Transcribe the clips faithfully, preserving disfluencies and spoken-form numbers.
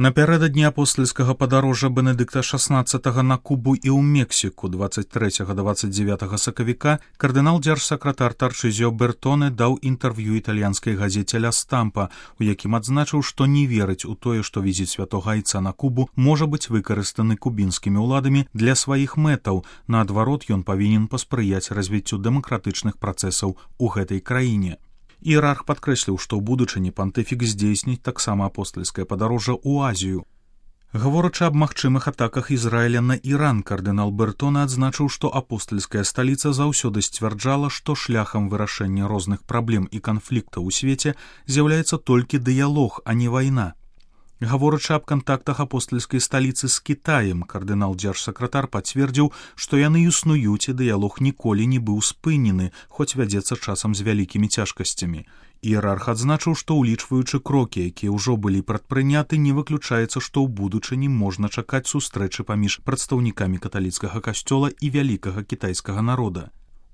Напярэдадні апостальскага падарожжа Бенедыкта шаснаццатага на Кубу і ў Мексіку дваццаць трэцяга да дваццаць дзевятага сакавіка кардынал-дзяржсакратар Тарчызіо Бертоне даў інтэрв'ю італьянскай газеце «Ля Стампа», у якім адзначыў, што не верыць у тое, што візіт святога айца на Кубу можа быць выкарыстаны кубінскімі ўладамі для сваіх мэтаў. Наадварот, ён павінен паспрыяць развіццю дэмакратычных працэсаў у гэтай краіне. Іерарх падкрэсліў, што ў будучыні пантыфік здзейсніць таксама апостальскае падарожжа ў Азію. Гаворачы аб магчымых атаках Ізраіля на Іран, кардынал Бертоне адзначыў, што апостальская сталіца заўсёды сцвярджала, што шляхам вырашэння розных праблем і канфліктаў у свеце з'яўляецца толькі дыялог, а не вайна. Гаворачы аб кантактах апостальскай сталіцы з Кітаем, кардынал-дзяржсакратар пацвердзіў, што яны існуюць і дыялог ніколі не быў спынены, хоць вядзецца часам з вялікімі цяжкасцямі. Іерарх адзначыў, што ўлічваючы крокі, якія ўжо былі прадпрыняты, не выключаецца, што ў будучыні можна чакаць сустрэчы паміж прадстаўнікамі каталіцкага касцёла і вялікага кітайскага народа.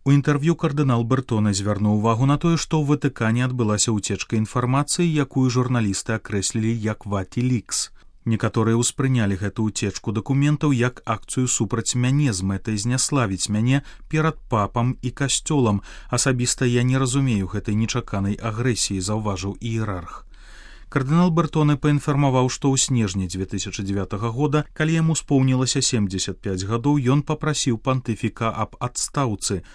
У інтэрв'ю кардынал Бертоне звярнуў увагу на тое, што ў Ватыкане адбылася ўцечка інфармацыі, якую журналісты акрэслілі як «Ватилікс». Некаторыя ўспрынялі гэту ўцечку дакументаў як акцыю супраць мяне з мэтай зняславіць мяне перад папам і касцёлам. Асабіста я не разумею гэтай нечаканай агрэсіі, заўважыў іерарх. Кардынал Бертоне паінфармаваў, што ў снежні дзве тысячы дзевятага года, калі яму споўнілася семдзесят пяць гадоў, ён папрасіў пантыфіка аб адстаўцы.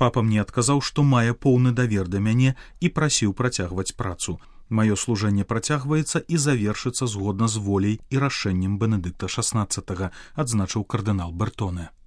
Папа мне адказаў, што мае поўны давер да мяне і прасіў працягваць працу. Маё служэнне працягваецца і завершыцца згодна з воляй і рашэннем Бенедыкта шаснаццатага, адзначыў кардынал Бертоне.